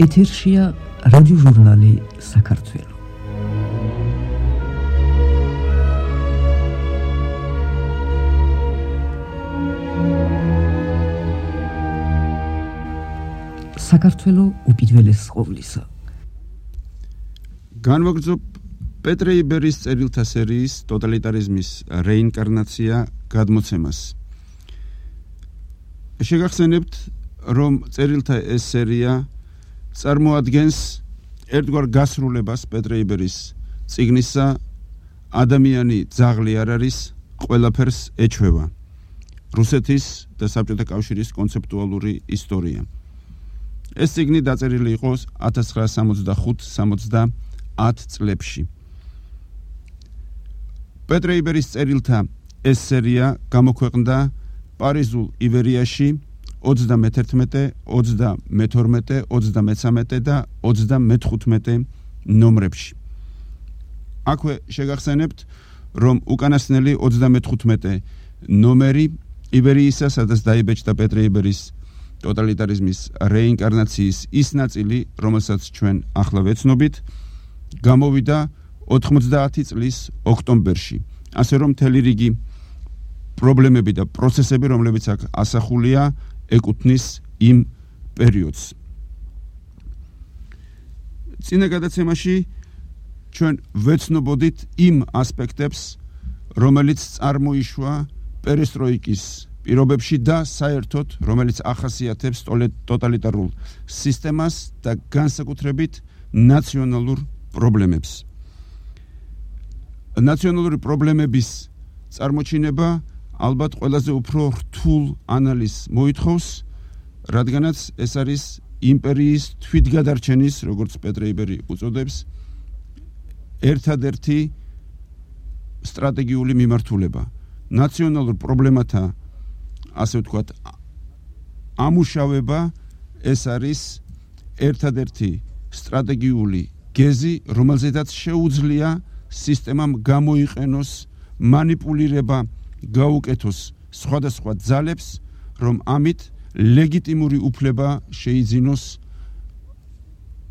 ეთერშია რადიოჟურნალი საქართველო. საქართველო უპირველეს ყოვლისა. განვაგრძობ პეტრე იბერის წერილთა სერიის ტოტალიტარიზმის რეინკარნაცია გადმოცემას. შეგახსენებთ, რომ წერილთა ეს სერია წარმოადგენს ერთგვარ გასრულებას პეტრე იბერის წიგნისა ადამიანი ძაღლი არ არის, ყველაფერს ეჩვევა. რუსეთის და საბჭოთა კავშირის კონცეპტუალური ისტორია. ეს წიგნი დაწერილი იყო 1965-70 წლებში. პეტრე იბერის წერილთა ეს სერია გამოქვეყნდა პარიზულ ივერიაში 31, 32, 33 და 35 ნომრებში. აქვე შეგახსენებთ, რომ უკანასკნელი 35 ნომერი ივერიისა, სადაც დაიბეჭდა პეტრე იბერის ტოტალიტარიზმის რეინკარნაციის ის ნაწილი, რომელსაც ჩვენ ახლა ვეცნობით, გამოვიდა 90 წლის ოქტომბერში. ასე რომ მთელი რიგი პრობლემები და პროცესები, რომლებიც აქ ასახულია, ეკუთვნის იმ პერიოდს. წინა გადაცემაში ჩვენ ვეცნობოდით იმ ასპექტებს, რომელიც წარმოიშვა პერესტროიკის პირობებში და საერთოდ, რომელიც ახასიათებს ტოტალიტარულ სისტემას და განსაკუთრებით ნაციონალურ პრობლემებს. ნაციონალური პრობლემების წარმოჩინება ალბათ ყველაზე უფრო რთულ ანალიზს მოითხოვს, რადგანაც ეს არის იმპერიის თვითგადარჩენის, როგორც პეტრე იბერი უწოდებს, ერთადერთი სტრატეგიული მიმართულება. ნაციონალურ პრობლემათა, ასე ვთქვათ, ამუშავება ეს არის ერთადერთი სტრატეგიული გეზი, რომელზედაც შეუძლია სისტემამ გამოიყენოს მანიპულირება, გაუკეთოს სხვადასხვა ძალებს, რომ ამით ლეგიტიმური უფლება შეიძინოს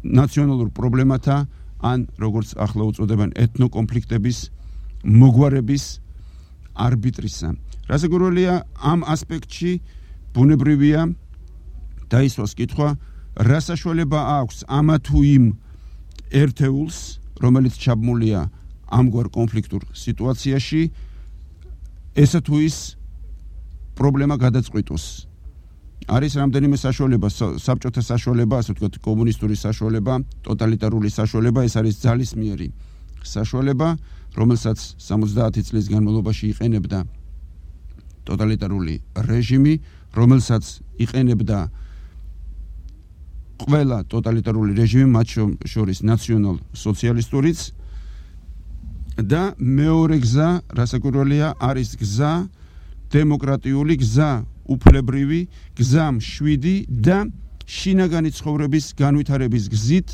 ნაციონალურ პრობლემათა, ან როგორც ახლა უწოდებენ ეთნოკონფლიქტების მოგვარების არბიტრისა. რასაკვირველია, ამ ასპექტში ბუნებრივია დაისვას კითხვა, რა საშუალება აქვს ამა თუ იმ ერთეულს, რომელიც ჩაბმულია ამგვარ კონფლიქტურ სიტუაციაში, ესა თუ ის პრობლემა გადაწყვიტოს. არის რამდენიმე საშუალება, საბჭოთა საშუალება, ასე ვთქვათ, კომუნისტური საშუალება, ტოტალიტარული საშუალება, ეს არის ძალისმიერი საშუალება, რომელსაც 70 წლის განმავლობაში იყენებდა ტოტალიტარული რეჟიმი, რომელსაც იყენებდა ყველა ტოტალიტარული რეჟიმი, მათ შორის ნაციონალ-სოციალისტურიც. და მეორე გზა, რასაკვირველია, არის გზა, დემოკრატიული გზა, უფლებრივი გზა, მშვიდი და შინაგანი ცხოვრების განვითარების გზით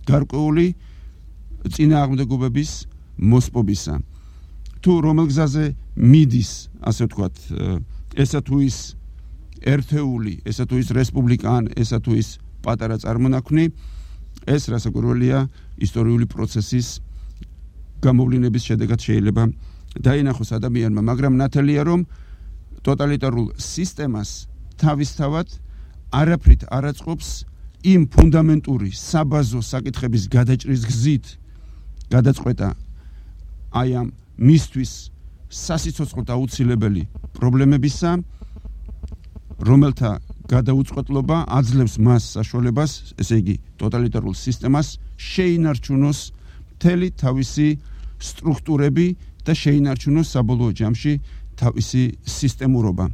გარკვეული წინააღმდეგობების მოსპობისა. თუ რომელ გზაზე მიდის, ასე ვთქვათ, ესა თუ ის ერთეული, ესა თუ ის რესპუბლიკა, ან ესა თუ ის პატარა წარმონაქმნი, ეს რასაკვირველია ისტორიული პროცესის გამოვლინების შედეგად შეიძლება დაინახოს ადამიანმა, მაგრამ ნათელია, რომ ტოტალიტარულ სისტემას თავისთავად არაფრით არ აწყობს იმ ფუნდამენტური საბაზო საკითხების გადაჭრის გზით გადაწყვეტა აი ამ მისთვის სასიცოცხლოდ აუცილებელი პრობლემებისა, რომელთა გადაუწყვეტლობა აძლევს მას საშუალებას, ესე იგი ტოტალიტარულ სისტემას შეინარჩუნოს მთელი თავისი სტრუქტურები და შეინარჩუნოს საბოლოო ჯამში თავისი სისტემურობა.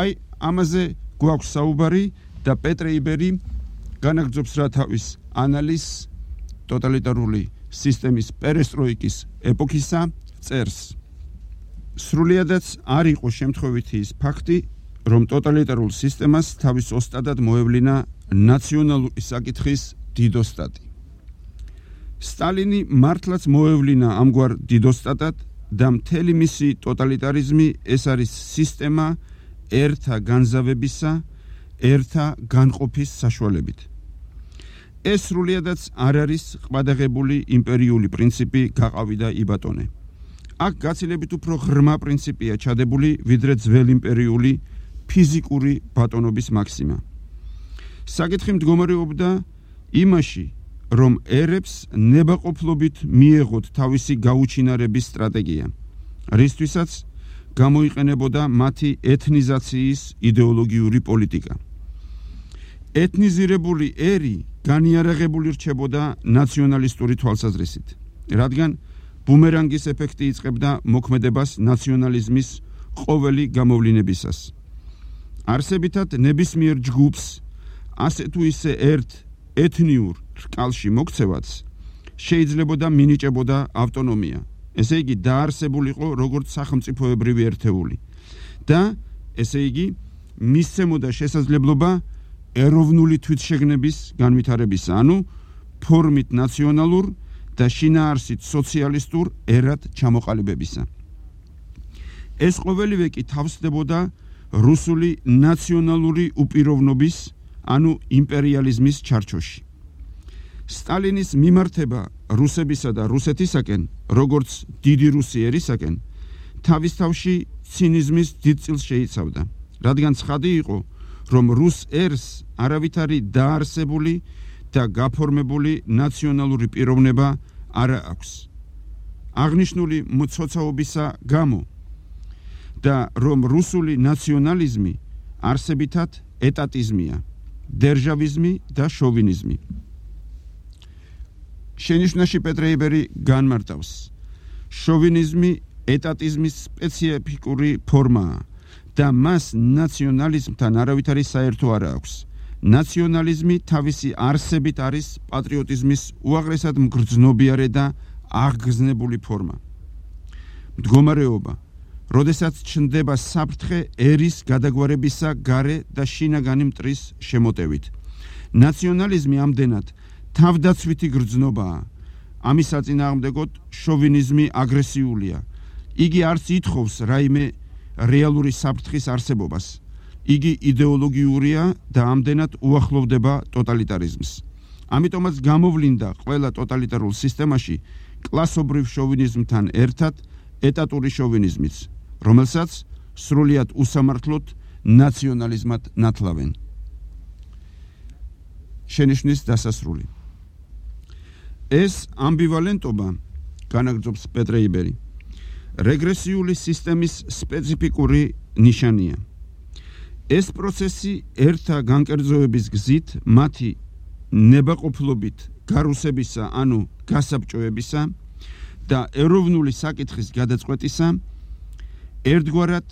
აი, ამაზე გვაქვს საუბარი და პეტრე იბერი განაგრძობს რა თავის ანალიზს ტოტალიტარული სისტემის პერესტროიკის ეპოქისა, წერს. სრულიადაც არ იყო შემთხვევითი ის ფაქტი, რომ ტოტალიტარულ სისტემას თავის ოსტატად მოევლინა ნაციონალური საკითხის დიდოსტატი. სტალინი მართლაც მოევლინა ამგვარ დიდოსტატად და მთელი მისი ტოტალიტარიზმი ეს არის სისტემა ერთა განზავებისა ერთა განყოფის საშუალებით. ეს სრულიადაც არ არის ყბადაღებული იმპერიული პრინციპი გაყავიდა იბატონე. აქ გაცილებით უფრო ღრმა პრინციპია ჩადებული, ვიდრე ძველი იმპერიული ფიზიკური ბატონობის მაქსიმა. საკითხი მდგომარეობდა იმაში, რომ ერებს ნებაყოფლობით მიეღოთ თავისი გაუჩინარების სტრატეგია, რისთვისაც გამოიყენებოდა მათი ეთნიზაციის იდეოლოგიური პოლიტიკა. ეთნიზირებული ერი განიარაღებული რჩებოდა ნაციონალისტური თვალსაზრისით, რადგან ბუმერანგის ეფექტი იწყებდა მოქმედებას ნაციონალიზმის ყოველი გამოვლინებისას. არსებითად ნებისმიერ ჯგუფს ასე თუ ისე ერთ ეთნიურ რკალში მოქცევაც შეიძლებოდა მინიჭებოდა ავტონომია, ესე იგი დაარსებულიყო როგორც სახელმწიფოებრივი ერთეული და ესე იგი მისცემოდა შესაძლებლობა ეროვნული თვითშეგნების განვითარებისა, ანუ ფორმით ნაციონალურ და შინაარსით სოციალისტურ ერად ჩამოყალიბებისა. ეს ყოველივე კი თავსდებოდა რუსული ნაციონალური უპიროვნობის, ანუ იმპერიალიზმის ჩარჩოში. სტალინის მიმართება რუსებისა და რუსეთისაკენ, როგორც დიდი რუსი ერისაკენ, თავის თავში ცინიზმის დიდ წილს შეიცავდა, რადგან ცხადი იყო, რომ რუს ერს არავითარი დაარსებული და გაფორმებული ნაციონალური პიროვნება არ აქვს. აღნიშნული მცოცაობისა გამო და რომ რუსული ნაციონალიზმი არსებითად ეტატიზმია, დერჟავიზმი და შოვინიზმი. შენიშვნაში პეტრე იბერი განმარტავს, შოვინიზმი ეტატიზმის სპეციფიკური ფორმაა და მას ნაციონალიზმთან არავითარი საერთო არ აქვს. ნაციონალიზმი თავისი არსებით არის პატრიოტიზმის უაღრესად მგრძნობიარე და აღგზნებული ფორმა. მდგომარეობა, როდესაც ჩნდება საფრთხე ერის გადაგვარებისა გარე და შინაგანი მტრის შემოტევით. ნაციონალიზმი ამდენად თავდაცვითი გრძნობაა. ამის საწინააღმდეგოდ შოვინიზმი აგრესიულია. იგი არც ითხოვს რაიმე რეალური საფრთხის არსებობას. იგი იდეოლოგიურია და ამდენად უახლოვდება ტოტალიტარიზმს. ამიტომაც გამოვლინდა ყველა ტოტალიტარულ სისტემაში კლასობრივ შოვინიზმთან ერთად ეტატური შოვინიზმიც, რომელსაც სრულიად უსამართლოდ ნაციონალიზმად ნათლავენ. შენიშვნის დასასრული. ეს ამბივალენტობა, განაგრძობს პეტრე იბერი, რეგრესიული სისტემის სპეციფიკური ნიშანია. ეს პროცესი ერთა განკერძოების გზით მათი ნებაყოფლობით გარუსებისა, ანუ გასაბჭოებისა და ეროვნული საკითხის გადაწყვეტისა ერთგვარად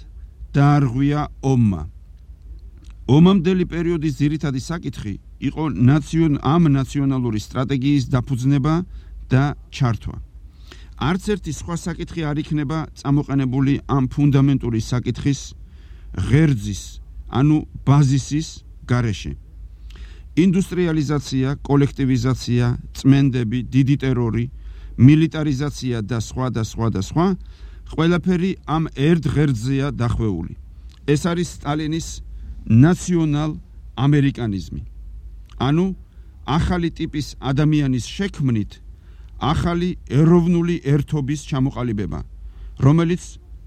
დაარღვია ომმა. ომამდელი პერიოდის ძირითადი საკითხი იყო ამ ნაციონალური სტრატეგიის დაფუძნება და ჩართვა. არც ერთი სხვა საკითხი არ იქნება წამოყენებული ამ ფუნდამენტური საკითხის ღერძის, ანუ ბაზისის გარეშე. ინდუსტრიალიზაცია, კოლექტივიზაცია, წმენდები, დიდი ტერორი, მილიტარიზაცია და სხვა, ყველაფერი ამ ერთ ღერძზეა დახვეული. ეს არის სტალინის ნაციონალ ამერიკანიზმი. ანუ ახალი ტიპის ადამიანის შექმნით ახალი ეროვნული ერთობის ჩამოყალიბება, რომელიც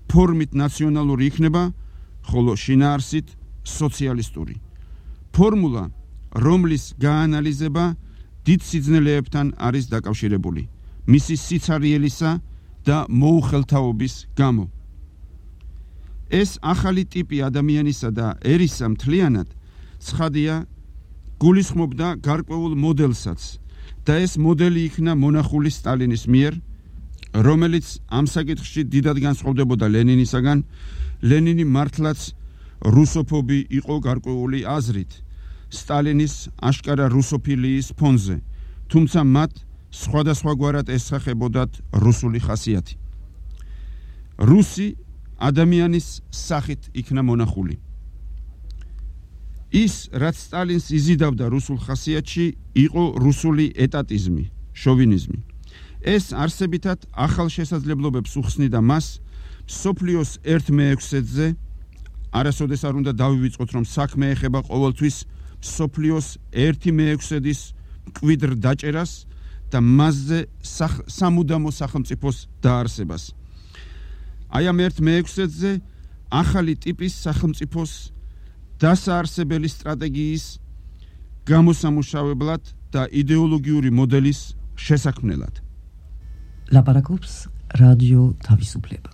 ფორმით ნაციონალური იქნება, ხოლო შინაარსით სოციალისტური. ფორმულა, რომლის გაანალიზება დიდ სიძნელეებთან არის დაკავშირებული, მისი სიცარიელისა და მოუხელთაობის გამო. ეს ახალი ტიპი ადამიანისა და ერისა მთლიანად ცხადია გულისხმობდა გარკვეულ მოდელსაც და ეს მოდელი იქნა მონახული სტალინის მიერ, რომელიც ამ საკითხში დიდად განსხვავდებოდა ლენინისაგან. ლენინი მართლაც რუსოფობი იყო გარკვეული აზრით სტალინის აშკარა რუსოფილიის ფონზე, თუმცა მათ სხვადასხვაგვარად ესახებოდათ რუსული ხასიათი. რუსი ადამიანის სახით იქნა მონახული. ის, რაც სტალინს იზიდავდა რუსულ ხასიათში, იყო რუსული ეტატიზმი, შოვინიზმი. ეს არსებითად ახალ შესაძლებლობებს უხსნიდა მას მსოფლიოს 1/6-ზე არასოდეს არ უნდა დავივიწყოთ, რომ საქმე ეხება ყოველთვის სოფლიოს 1/6-ის მკვიდრ დაჭერას და მასზე სამუდამო სახელმწიფოს დაარსებას. აი ამ 1/6-ზე ახალი ტიპის სახელმწიფოს დასაარსებელი სტრატეგიის გამოსამუშავებლად და იდეოლოგიური მოდელის შესაქმნელად. ლაპარაკობს რადიო თავისუფლება.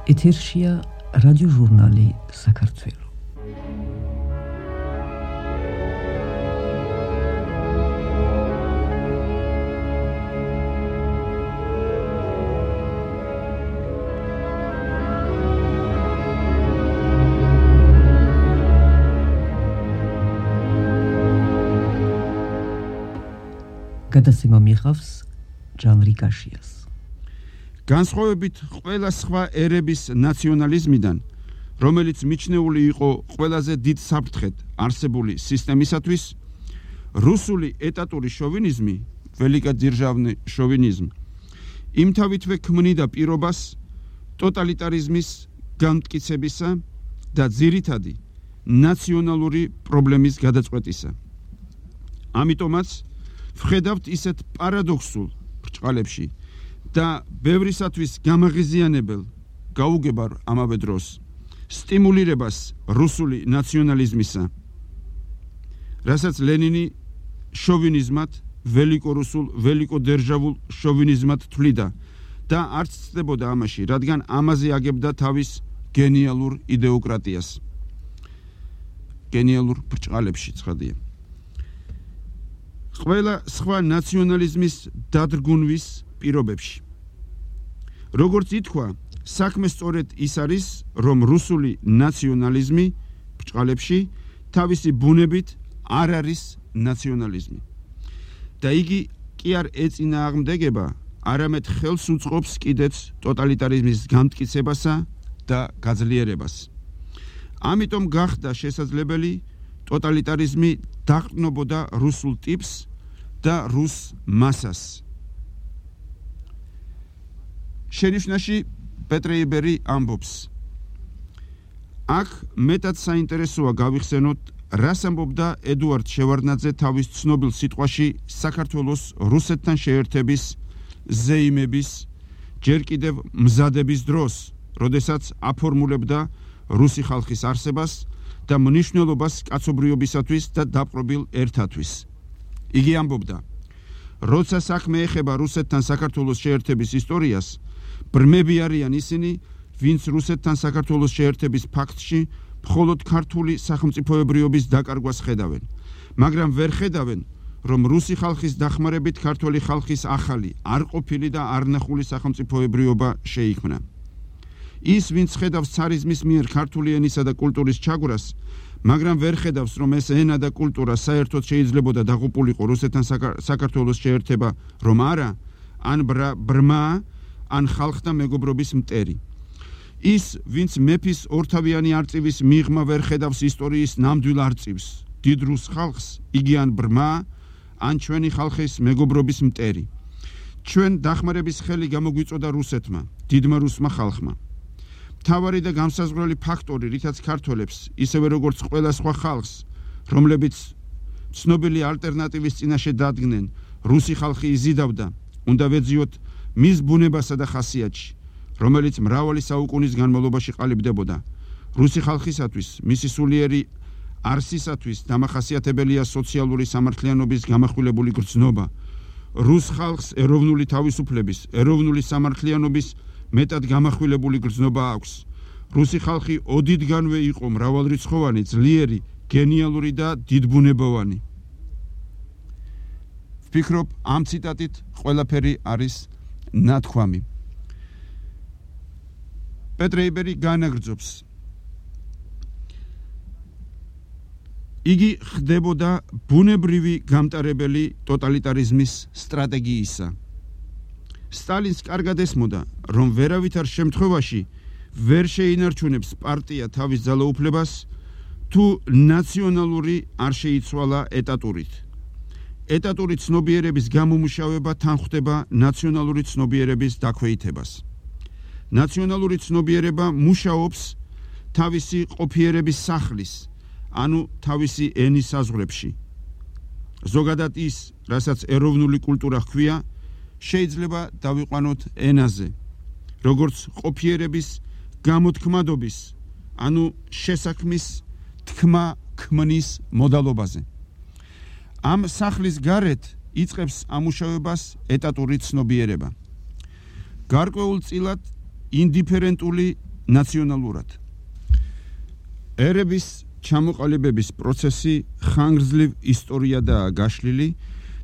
ეთერშია რადიო ჟურნალი საქართველო. გადაცემა მიიღავს ჟანრი კაშიას. განსხვავებით ყველა სხვა ერების ნაციონალიზმიდან, რომელიც მიჩნეული იყო ყველაზე დიდ საფრთხედ არსებული სისტემისათვის, რუსული ეტატური შოვინიზმი, ველიკადირჟავნი შოვინიზმ, იმთავითვე ქმნიდა პირობას ტოტალიტარიზმის განმტკიცებისა და ძირითადი ნაციონალური პრობლემის გადაწყვეტისა. ამიტომაც ვხედავთ ისეთ პარადოქსულ ბრჭყალებში და ბევრისათვის გამაღიზიანებელ გაუგებარ ამავე დროს სტიმულირებას რუსული ნაციონალიზმისა, რასაც ლენინი შოვინიზმად, ველიკორუსულ, ველიკოდერჟავულ შოვინიზმად თვლიდა და არც ცდებოდა ამაში, რადგან ამაზე აგებდა თავის გენიალურ იდეოკრატიას. გენიალურ ბრჭყალებში ცხადია. ყველა სხვა ნაციონალიზმის დადგუნვის პირობებში. როგორც ითქვა, საქმე სწორედ ის არის, რომ რუსული ნაციონალიზმი ბრჭყალებში თავისი ბუნებით არ არის ნაციონალიზმი. და იგი კი არ ეწინააღმდეგება, არამედ ხელს უწყობს კიდეც ტოტალიტარიზმის განმტკიცებასა და გაძლიერებას. ამიტომ გახდა შესაძლებელი ტოტალიტარიზმი დაყრდნობოდა რუსულ ტიპს და რუს მასას. შენიშვნაში პეტრე იბერი ამბობს: აქ მეტად საინტერესოა გავიხსენოთ, რას ამბობდა ედუარდ შევარდნაძე თავის ცნობილ სიტყვაში საქართველოს რუსეთთან შეერთების ზეიმების ჯერ კიდევ მზადების დროს, როდესაც აფორმულებდა რუსი ხალხის არსებას და მნიშვნელობას კაცობრიობისათვის და დაპყრობილ ერთათვის. იგი ამბობდა: როცა საქმე ეხება რუსეთთან საქართველოს შეერთების ისტორიას, ბრმები არიან ისინი, ვინც რუსეთთან საქართველოს შეერთების ფაქტში მხოლოდ ქართული სახელმწიფოებრიობის დაკარგვას ხედავენ, მაგრამ ვერ ხედავენ, რომ რუსი ხალხის დახმარებით ქართული ხალხის ახალი, არ ყოფილი და არნახული სახელმწიფოებრიობა შეიქმნა. ის, ვინც ხედავს ცარიზმის მიერ ქართული ენისა და კულტურის ჩაგვრას, მაგრამ ვერ ხედავს, რომ ეს ენა და კულტურა საერთოდ შეიძლებოდა დაღუპულიყო რუსეთთან საქართველოს შეერთება, რომ არა, ან ბრმა, ან ხალხთა მეგობრობის მტერი. ის, ვინც მეფის ორთავიანი არწივის მიღმა ვერ ხედავს ისტორიის ნამდვილ არწივს, დიდ რუს ხალხს, იგი ან ბრმა, ან ჩვენი ხალხის მეგობრობის მტერი. ჩვენ დახმარების ხელი გამოგვიწოდა რუსეთმა, დიდმა რუსმა ხალხმა. მთავარი და განსაზღვრელი ფაქტორი, რითაც ქართველებს, ისევე როგორც ყველა სხვა ხალხს, რომლებიც ცნობილი ალტერნატივის წინაშე დადგნენ, რუსი ხალხი იზიდავდა, უნდა ვეძიოთ მის ბუნებასა და ხასიათში, რომელიც მრავალი საუკუნის განმავლობაში ყალიბდებოდა. რუსი ხალხისათვის, მისი სულიერი არსისათვის დამახასიათებელია სოციალური სამართლიანობის გამახვილებული გრძნობა. რუს ხალხს ეროვნული თავისუფლების, ეროვნული სამართლიანობის მეტად გამახვილებული გრძნობა აქვს. რუსი ხალხი ოდითგანვე იყო მრავალრიცხოვანი, ძლიერი, გენიალური და დიდბუნებოვანი. ვფიქრობ, ამ ციტატით ყველაფერი არის ნათქვამი. პეტრე იბერი განაგრძობს: იგი ხდებოდა ბუნებრივი გამტარებელი ტოტალიტარიზმის სტრატეგიისა. სტალინს კარგად ესმოდა, რომ ვერავითარ შემთხვევაში ვერ შეინარჩუნებს პარტია თავის ძალაუფლებას, თუ ნაციონალური არ შეიცვალა ეტატურით. ეტატური ცნობიერების გამომუშავება თან ხვდება ნაციონალური ცნობიერების დაქვეითებას. ნაციონალური ცნობიერება მუშაობს თავისი ყოფიერების სახლის, ანუ თავისი ენის საზღვრებში. ზოგადად ის, რასაც ეროვნული კულტურა ჰქვია, შეიძლება დავიყვანოთ ენაზე, როგორც ყოფიერების გამოთქმადობის, ანუ შესაქმის თქმა-ქმნის მოდალობაზე. ამ სახლის გარეთ იწყებს ამუშავებას ეტატური ცნობიერება. გარკვეულწილად ინდიფერენტული ნაციონალურად. ერების ჩამოყალიბების პროცესი ხანგრძლივ ისტორიადაა გაშლილი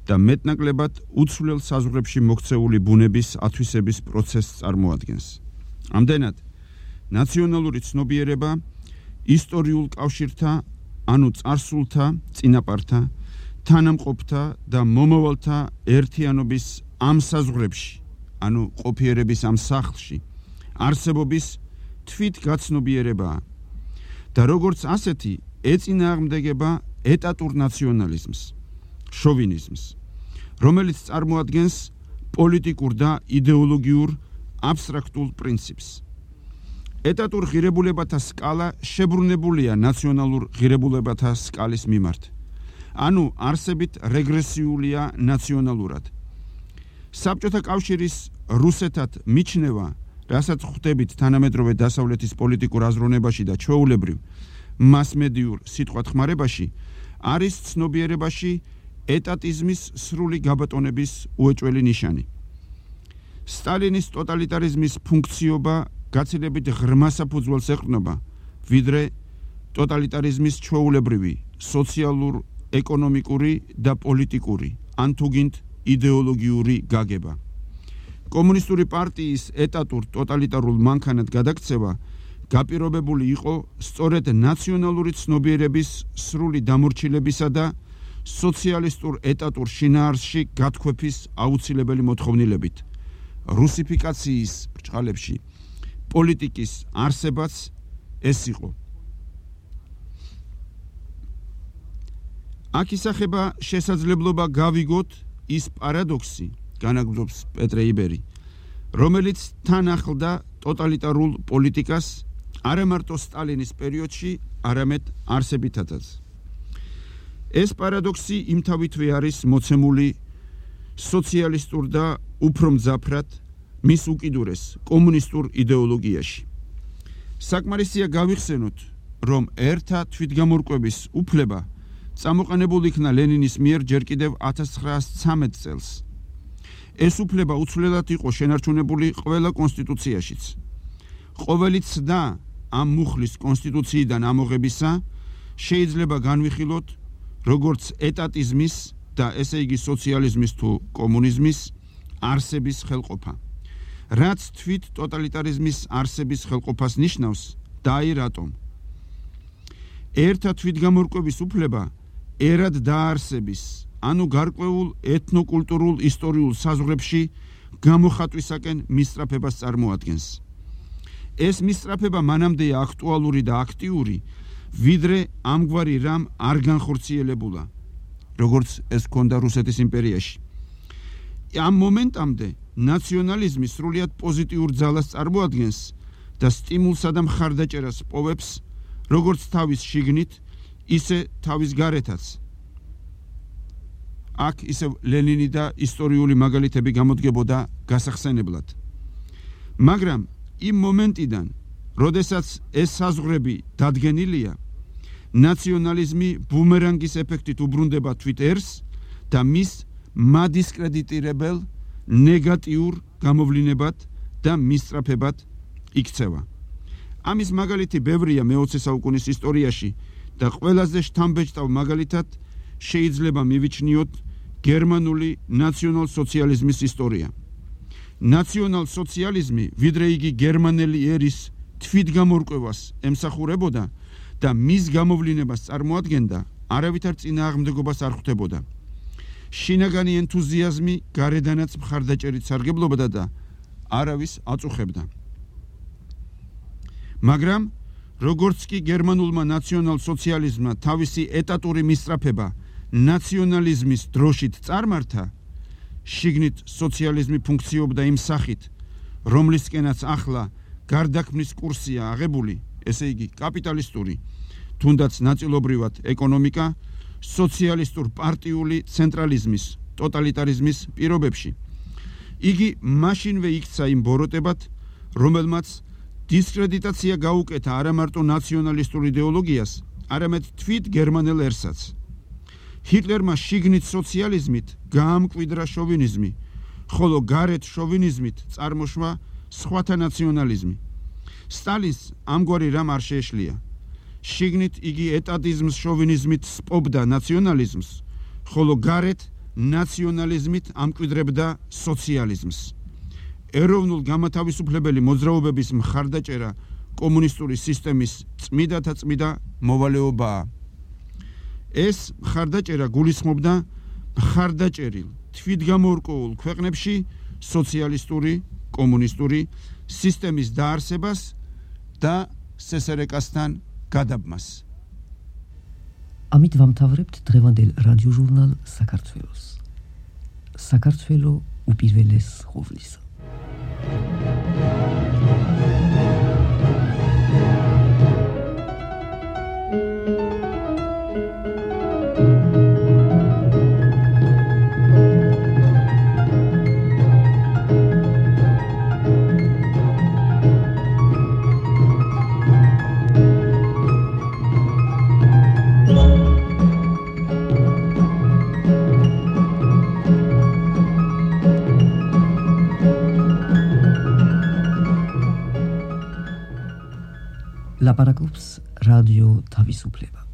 და მეტნაკლებად უცვლელ საზღვრებში მოქცეული ბუნების ათვისების პროცესს წარმოადგენს. ამდენად, ნაციონალური ცნობიერება ისტორიულ კავშირთა, ანუ წარსულთა, წინაპართა, თანამყოფთა და მომავალთა ერთიანობის ამ საზღვრებში, ანუ ყოფიერების ამ სახლში, არსებობის თვითგაცნობიერებაა და როგორც ასეთი ეწინააღმდეგება ეტატურ ნაციონალიზმს, შოვინიზმს, რომელიც წარმოადგენს პოლიტიკურ და იდეოლოგიურ აბსტრაქტულ პრინციპს. ეტატურ ღირებულებათა სკალა შებრუნებულია ნაციონალურ ღირებულებათა სკალის მიმართ. ანუ არსებით რეგრესიულია ნაციონალურად. საბჭოთა კავშირის რუსეთად მიჩნევა, რასაც ხვდებით თანამედროვე დასავლეთის პოლიტიკურ აზროვნებაში და ჩვეულებრივ მასმედიურ სიტყვათხმარებაში, არის ცნობიერებაში ეტატიზმის სრული გაბატონების უეჭველი ნიშანი. სტალინის ტოტალიტარიზმის ფუნქციობა გაცილებით ღრმა საფუძველს ეყრდნობა, ვიდრე ტოტალიტარიზმის ჩვეულებრივი სოციალურ, ეკონომიკური და პოლიტიკური, ან თუგინთ იდეოლოგიური გაგება. კომუნისტური პარტიის ეტატურ ტოტალიტარულ მანქანად გადაქცევა გაპირობებული იყო სწორედ ნაციონალური ცნობიერების სრული დამორჩილებისა და სოციალისტურ ეტატურ შინაარსში გათქვეფის აუცილებელი მოთხოვნილებით. რუსიფიკაციის ბრჭყალებში პოლიტიკის არსებაც ეს იყო. აქ ისახება შესაძლებლობა გავიგოთ ის პარადოქსი, განაგრძობს პეტრე იბერი, რომელიც თან ახლდა ტოტალიტარულ პოლიტიკას არა მარტო სტალინის პერიოდში, არამედ არსებითადაც. ეს პარადოქსი იმთავითვე არის მოცემული სოციალისტურ და უფრო მძაფრად მის უკიდურეს კომუნისტურ იდეოლოგიაში. საკმარისია გავიხსენოთ, რომ ერთა თვითგამორკვების უფლება წამოყენებული იქნა ლენინის მიერ ჯერ კიდევ 1913 წელს. ეს უფლება უცვლელად იყო შენარჩუნებული ყველა კონსტიტუციაშიც. ყოველი ცდა ამ მუხლის კონსტიტუციიდან ამოღებისა შეიძლება განვიხილოთ როგორც ეტატიზმის და ესე იგი სოციალიზმის თუ კომუნიზმის არსების ხელყოფა. რაც თვით ტოტალიტარიზმის არსების ხელყოფას ნიშნავს და აი რატომ. ერთა თვითგამორკვების უფლება ერად დაარსების, ანუ გარკვეულ ეთნოკულტურულ ისტორიულ საზღვრებში გამოხატვისაკენ მისწრაფებას წარმოადგენს. ეს მისწრაფება მანამდეა აქტუალური და აქტიური, ვიდრე ამგვარი რამ არ განხორციელებულა, როგორც ეს ჰქონდა რუსეთის იმპერიაში. ამ მომენტამდე ნაციონალიზმი სრულიად პოზიტიურ ძალას წარმოადგენს და სტიმულსა და მხარდაჭერას პოვებს, როგორც თავის შიგნით, ისე თავის გარეთაც. აქ ისევ ლენინი და ისტორიული მაგალითები გამოდგებოდა გასახსენებლად. მაგრამ იმ მომენტიდან, როდესაც ეს საზღვრები დადგენილია, ნაციონალიზმი ბუმერანგის ეფექტით უბრუნდება თვით ერს და მის მადისკრედიტირებელ ნეგატიურ გამოვლინებად და მისწრაფებად იქცევა. ამის მაგალითი ბევრია მე-20 საუკუნის ისტორიაში და ყველაზე შთამბეჭდავ მაგალითად შეიძლება მივიჩნიოთ გერმანული ნაციონალ-სოციალიზმის ისტორია. ნაციონალ-სოციალიზმი, ვიდრე იგი გერმანელი ერის თვითგამორკვევას ემსახურებოდა და მის გამოვლინებას წარმოადგენდა, არავითარ წინააღმდეგობას არ ხვდებოდა. შინაგანი ენთუზიაზმი გარედანაც მხარდაჭერით სარგებლობდა და არავის აწუხებდა. მაგრამ როგორც კი გერმანულმა ნაციონალ-სოციალიზმმა თავისი ეტატური მისწრაფება ნაციონალიზმის დროშით წარმართა, შიგნით სოციალიზმი ფუნქციობდა იმ სახით, რომლისკენაც ახლა გარდაქმნის კურსია აღებული, ესე იგი კაპიტალისტური, თუნდაც ნაწილობრივად ეკონომიკა, სოციალისტურ პარტიული ცენტრალიზმის, ტოტალიტარიზმის პირობებში. იგი მაშინვე იქცა იმ ბოროტებად, რომელმაც დისკრედიტაცია გაუკეთა არა მარტო ნაციონალისტურ იდეოლოგიას, არამედ თვით გერმანელ ერსაც. ჰიტლერმა შიგნით სოციალიზმით გაამკვიდრა შოვინიზმი, ხოლო გარეთ შოვინიზმით წარმოშვა სხვათა ნაციონალიზმი. სტალინს ამგვარი რამ არ შეეშლია. შიგნით იგი ეტატიზმს შოვინიზმით სპობდა ნაციონალიზმს, ხოლო გარეთ ნაციონალიზმით ამკვიდრებდა სოციალიზმს. ეროვნულ გამათავისუფლებელი მოძრაობების მხარდაჭერა კომუნისტური სისტემის წმიდათა წმიდა მოვალეობაა. ეს მხარდაჭერა გულისხმობდა მხარდაჭერილ თვითგამორკვეულ ქვეყნებში სოციალისტური, კომუნისტური სისტემის დაარსებას და სესერეკასთან გადაბმას. ამით ვამთავრებთ დღევანდელ რადიოჟურნალ საქართველოს. საქართველო უპირველეს ყოვლისა. ლაპარაკობს რადიო თავისუფლება.